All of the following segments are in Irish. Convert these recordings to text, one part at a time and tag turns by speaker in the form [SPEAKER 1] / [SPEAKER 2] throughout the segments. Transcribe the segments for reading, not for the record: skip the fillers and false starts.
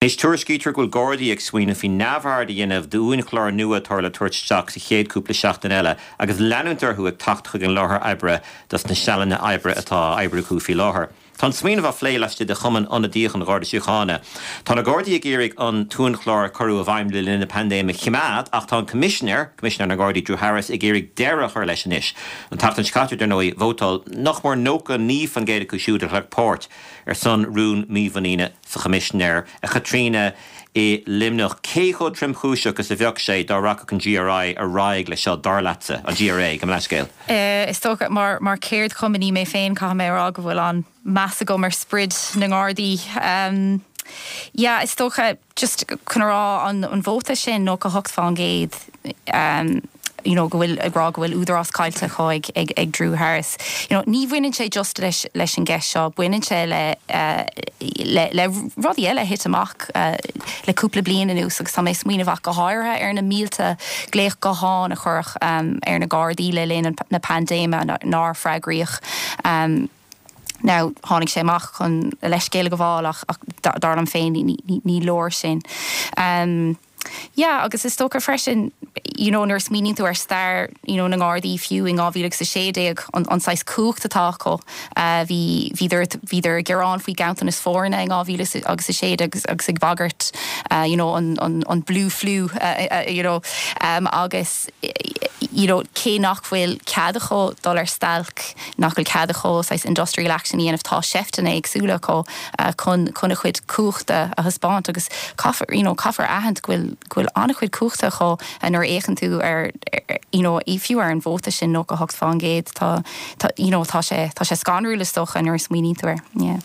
[SPEAKER 1] Anois tuairiscítear go bhfuil Gardaí ag smaoineamh faoi neamhaird a dhéanamh d'uainchlár nua atá le tabhairt isteach sa chéad cúpla seachtain eile agus leanúint orthu ag teacht chuig an láthair oibre dos na sealanna oibre atá á oibriú acu faoi láthair. Tá an smaoineamh á phlé laistigh de Chumann Ionadaíoch an Gharda Síochána. Tá na Gardaí ag iarraidh an t-uainchlár a cuireadh i bhfeidhm le linn na paindéime a choimeád ach tá an Coimisinéir, Coimisinéir na nGardaí Drew Harris, ag iarraidh deireadh a chur leis anois. An tseachtain seo caite, dar ndóigh, vótáil nach mór 99% acu siúd a ghlac páirt ar son rún mímhuiníne sa Choimisinéir, a Chaitríona, i Luimneach. Cé chomh tromchúiseach is a bheadh sé dá rachadh an GRI ar aghaidh leis seo, dar leatsa? An GRA, gabh mo leithscéal.
[SPEAKER 2] Is dócha, mar mar cheardchumannaí mé féin, caithfidh mé a rá go bhfuil an-meas agam ar sprid na nGardaí. Yeah, is dócha, just chun a rá, an vóta sin, 98%, you know, go bhfuil, ag rá go bhfuil údarás caillte acu ag, ag, ag Drew Harris. You know, ní bhaineann sé just leis, leis an gceist seo, baineann sé le, le, le rudaí eile a thit amach le cúpla bliain anuas agus tá mé ag smaoineamh ach go háirithe ar na mílte glaoch gutháin a cuireadh ar na Gardaí le linn na paindéime nár freagraíodh. Now, tháinig sé amach chun a leithscéal a ghabháil ach, ach dar liom féin ní, ní, ní leor sin. Yeah, agus is dócha freisin, you know, nuair a smaoiníonn tú ar stair, you know, na nGardaí fiú in 2016, an, an saghas cumhacht atá acu, bhí, bhíodar, bhíodar ag gearán faoi ganntanas foirne in 2016 agus, agus ag bagairt, you know, an, an, an blue flu, you know, agus, you know, cé nach bhfuil cead acu dul ar stailc, nach bhfuil cead acu saghas industrial action a dhéanamh, tá seifteanna éagsúla acu chun chun a chuid cumhachta a thaispeáint agus caithfear, you know, caithfear a aithint go bhfuil go bhfuil an-chuid cumhachta acu nuair a fhéachann tú ar, you know, fiú ar an vóta sin, 98%, tá, tá, you know, tá sé, tá sé scanrúil is dócha nuair a smaoiníonn tú air, yeah.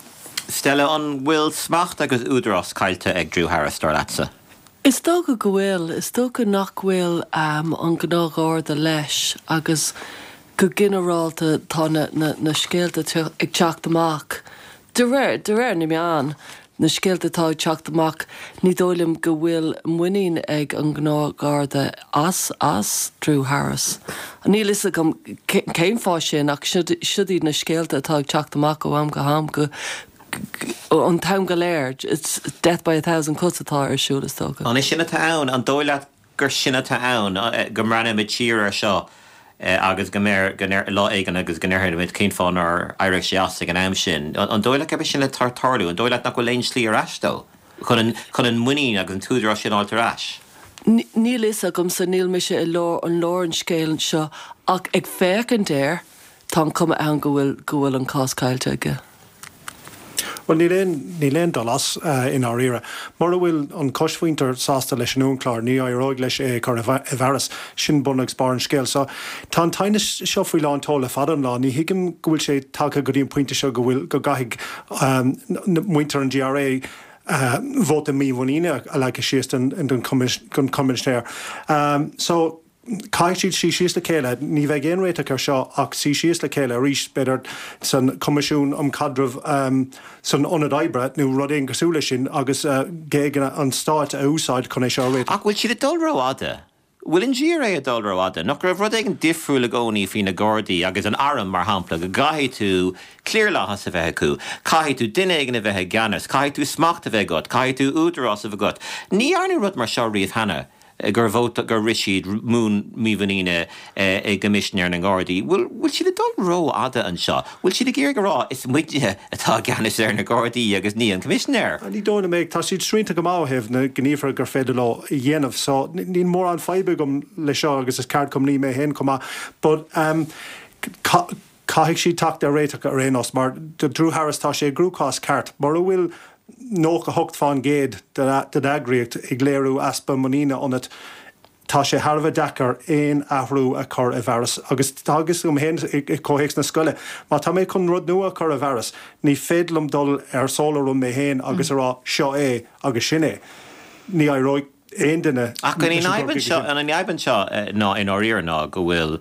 [SPEAKER 1] Stella, an bhfuil smacht agus údarás caillte ag Drew Harris, dar leatsa?
[SPEAKER 3] Is dócha go bhfuil. Is dócha nach bhfuil an gnáthgharda leis agus go ginearálta tá na scéalta ag teacht amach, de réir, de réir na meán, na scéalta atá ag teacht amach, ní dóigh liom go bhfuil muinín ag an ngnáthgharda as, as Drew Harris. Níl fhios agam cén fáth sin ach siod iad na scéalta atá ag teacht amach ó am go ham go, an t-am go léir. It's death by a thousand cuts atá ar siúl, is dócha.
[SPEAKER 1] An é sin atá ann? An dóigh leat gur sin atá ann, go mbreathnóimid siar air seo agus go mbeir, go ndeir, lá éigin agus go ndéarfaimid cén fáth nár éirigh sé as ag an am sin? An dóigh leat gurb é sin atá ag tarlú? An dóigh leat nach bhfuil aon slí ar ais dó chun an, chun an muinín agus an t-údarás sin a fháilt ar ais?
[SPEAKER 3] Níl fhios agamsa, níl mise i lár, i lár an scéil anseo ach ag féachaint air, tá an chuma ann go bhfuil, go bhfuil an cás caillte aige.
[SPEAKER 4] Bhuel, níl aon, níl aon dul as, i ndáiríre. Mura bhfuil an choismhuintir sásta leis an uainchlár, ní éireoidh leis é a chur i bhfearas. Sin bun agus barr an scéil. So, tá an t-aighneas seo faoi lán tseoil le fada an lá. Ní thuigim go bhfuil sé tagtha go dtí an pointe seo go bhfuil, go gcaithfidh muintir an GRA vóta mímhuiníne a leagadh síos don, don Choimisinéir. So. Caithfidh siad suí síos le chéile. Ní bheidh aon réiteach air seo ach suí síos le chéile arís, b'fhéidir san Choimisiún um Chaidreamh san Ionad Oibre nó rud éigin cosúil leis sin agus géaganna an stáit a úsáid chun é seo a réiteach.
[SPEAKER 1] Ach bhfuil siad ag dul rófhada? Bhfuil an GRA ag dul rófhada? Nach raibh rud éigin difriúil i gcónaí faoi na Gardaí agus an arm, mar shampla, go gcaithfidh tú cliarlathas a bheith acu, caithfidh tú duine éigin a bheith i gceannas, caithfidh tú smacht a bheith agat, caithfidh tú údarás a bheith agat. Ní dhearnadh rud mar seo riamh cheana. gur vóta, gur rith siad rún mímhuiníne i gCoimisinéir na nGardaí. Bhfuil, bhfuil siad ag dul rófhada anseo? Bhfuil siad ag iarraidh a rá, is muidne atá i gceannas ar na Gardaí agus ní an Coimisinéir?
[SPEAKER 4] Ní dóigh liom é. Tá siad srianta go maith ó thaobh na gníomhartha gur féidir leo a dhéanamh. So, níl mórán faidhbe agam le seo agus is ceardchumannaí mé féin chomh maith. But, um, caithfidh siad teacht ar réiteach ar aon nós mar do Drew Harris tá sé i gcruachás ceart. Mura bhfuil 98% de d'eagraíocht ag léiriú easpa muiníne ionat, tá sé thar a bheith deacair aon athrú a chur i bhfearas. Agus tá a fhios agam féin i gcomhthéacs na scoile, má tá mé chun rud nua a chur i bhfearas, ní féidir liom dul ar solo run mé féin agus a rá seo é agus sin é. Ní éireoidh. aon duine
[SPEAKER 1] Ach an í an fhadhb anseo, an í an fhadhb anseo ná i ndáiríre ná go bhfuil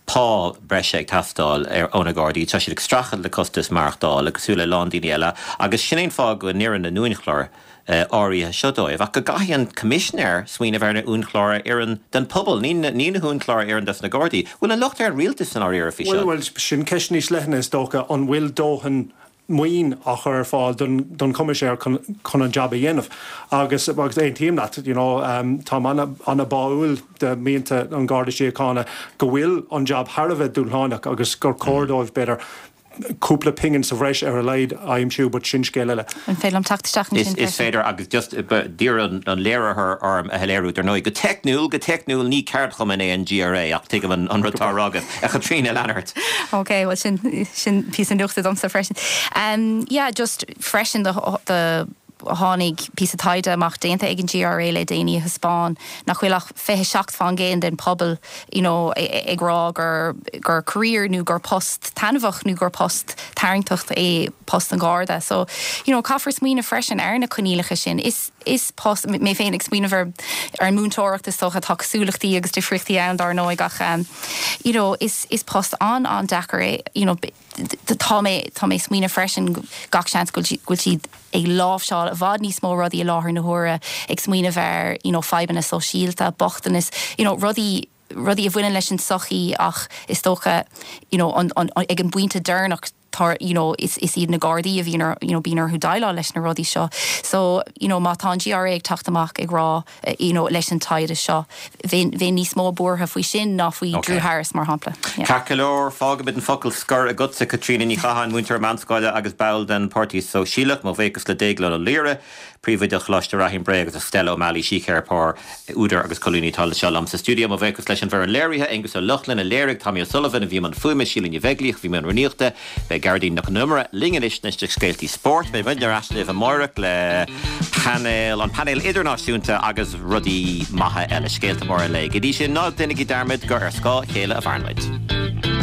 [SPEAKER 1] pá breise ag teastáil ó na Gardaí, tá siad ag streachailt le costas maireachtála cosúil le a lán daoine eile agus sin é an fáth go n-oireann na uainchlár áirithe seo dóibh. Ach go gcaithfidh an Coimisinéir smaoineamh ar na uainchlár a oireann don pobal, ní na huainchlár a oireann dos na Gardaí. Bhfuil an locht ar an rialtas i ndáiríre faoi seo?
[SPEAKER 4] Bhuel, sin ceist níos leithne is dócha, an bhfuil dóthain. maoin á chur ar fáil don Choimisinéir chun an jab a dhéanamh. Agus agus aontaím leat, you know, táim an-bháúil de mhianta an Gharda Síochána go bhfuil an jab thar a bheith dúshlánach agus gur chóir dóibh, b'fhéidir, cúpla pingin sa bhreis ar a laghad a aimsiú, but sin scéal eile.
[SPEAKER 2] An féidir liom teacht isteach ansin
[SPEAKER 1] freisin? Is féidir agus just d'iarr an léiritheoir orm a shoiléiriú, dar ndóigh, go teicniúil, go teicniúil ní ceardchumann é an GRA ach tuigim an rud atá á rá agat, a Chaitríona, lean ort.
[SPEAKER 2] Ok, bhuel sin, sin píosa nuachta domsa freisin. Yeah, just freisin do, do, tháinig píosa taighde amach déanta ag an GRA le déanaí a thaispeáin nach bhfuil ach 27% den pobal you know ag rá gur gur career nó gur post taitneamhach nó gur post tarraingteach é post an Gharda. So you know caithfear smaoineamh freisin ar na coinníollacha sin. Is is post, mé féin ag smaoineamh ar ar an múinteoireacht is dócha, tá cosúlachtaí agus difríochtaí ann dár ndóigh ach you know is is post an-an-deacair é you know Tá mé, tá mé ag smaoineamh freisin gach seans go bhfuil siad ag láimhseáil i bhfad níos mó rudaí i láthair na huaire, ag smaoineamh ar you know fadhbanna sóisialta, bochtanas, you know rudaí, rudaí a bhaineann leis an tsochaí ach is dócha you know an, an, ag an bpointe deireanach tá you know is, is iad na Gardaí a bhíonn ar, you know bíonn orthu déileáil leis na rudaí seo. So you know má tá an GRA ag teacht amach ag rá you know, leis an taighde seo. Bheinn níos mó buartha faoi sin ná faoi Drew Harris, mar shampla.
[SPEAKER 1] Ceart go leor, fágfaimid an focal scoir agatsa, Caitríona Ní Chatháin, múinteoir meánscoile agus ball den Páirtí Sóisialach. Mo bhuíochas le Déaglán Ó Laoire, Príomhoide Choláiste Reathaí, an Bhré agus le Stella O'Malley, síceiripeoir, údar agus colúnaí atá anseo liom sa stiúideo. Mo bhuíochas leis an bhfoireann léirithe, Aengus Ó Lochlainn a léirigh, Tommy O'Sullivan a bhí i mbun fuaime, Síle Ní Bheaglaoich a bhí i mbun rúnaíochta. Beidh Gearóidín Nic Con Iomaire linn anois leis na scéaltaí spóirt. Beidh muidne ar ais libh amáireach le painéal, an painéal idirnáisiúnta agus rudaí maithe eile, scéalta móra an lae. Go dtí sin, ná déanaigí dearmad gur ar scáth a chéile a mhaireann muid.